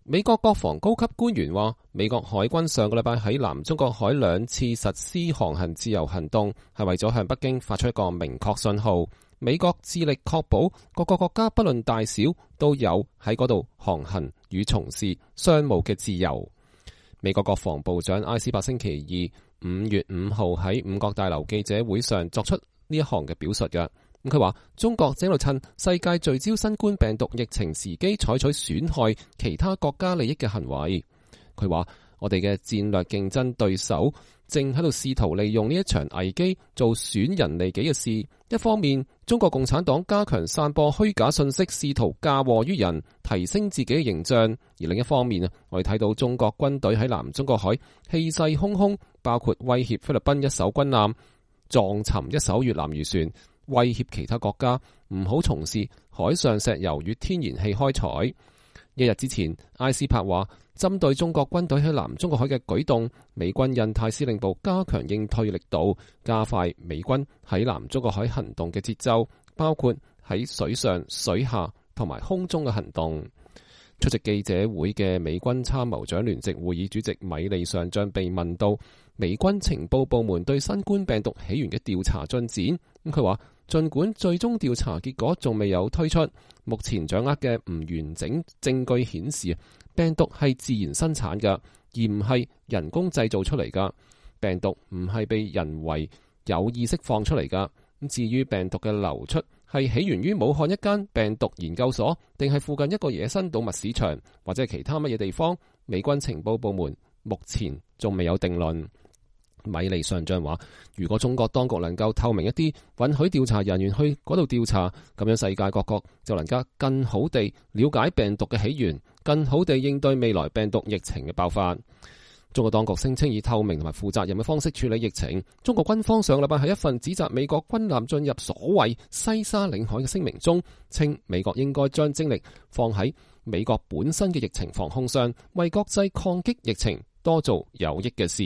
美國國防高級官員話，美國海軍上個禮拜喺南中國海2次實施航行自由行動，係為咗向北京發出一個明確信號。美國致力確保各個國家不論大小都有喺嗰度航行與從事商務嘅自由。美國國防部長埃斯珀星期二5月5號喺五角大樓記者會上作出呢一項嘅表述嘅。佢話中國正喺度趁世界聚焦新冠病毒疫情時機，採取損害其他國家利益嘅行為。佢話我哋嘅戰略競爭對手正喺度試圖利用呢一場危機做損人利己嘅事。一方面，中國共產黨加強散播虛假信息，試圖嫁禍於人，提升自己嘅形象；而另一方面，我哋睇到中國軍隊喺南中國海氣勢洶洶，包括威脅菲律賓一艘軍艦，撞沉一艘越南漁船，威脅其他國家唔好從事海上石油與天然氣開採。一日之前，埃斯珀話，針對中國軍隊喺南中國海嘅舉動，美軍印太司令部加強應對力度，加快美軍喺南中國海行動嘅節奏，包括喺水上、水下同埋空中嘅行動。出席記者會嘅美軍參謀長聯席會議主席米利上將被問到美軍情報部門對新冠病毒起源嘅調查進展，佢話儘管最終調查結果仲未有推出，目前掌握嘅唔完整證據顯示病毒係自然生產嘅，而唔係人工製造出嚟㗎。病毒唔係被人為有意識放出嚟㗎。至於病毒嘅流出係起源於武漢一間病毒研究所，定係附近一個野生動物市場，或者係其他乜嘢地方，美軍情報部門目前仲未有定論。米利上將話，如果中國當局能夠透明一啲，允許調查人員去嗰度調查，咁樣世界各國就能夠更好地了解病毒嘅起源，更好地應對未來病毒疫情嘅爆發。中國當局聲稱以透明同埋負責任嘅方式處理疫情。中國軍方上個禮拜喺一份指責美國軍艦進入所謂西沙領海嘅聲明中，稱美國應該將精力放喺美國本身嘅疫情防控上，為國際抗擊疫情多做有益嘅事。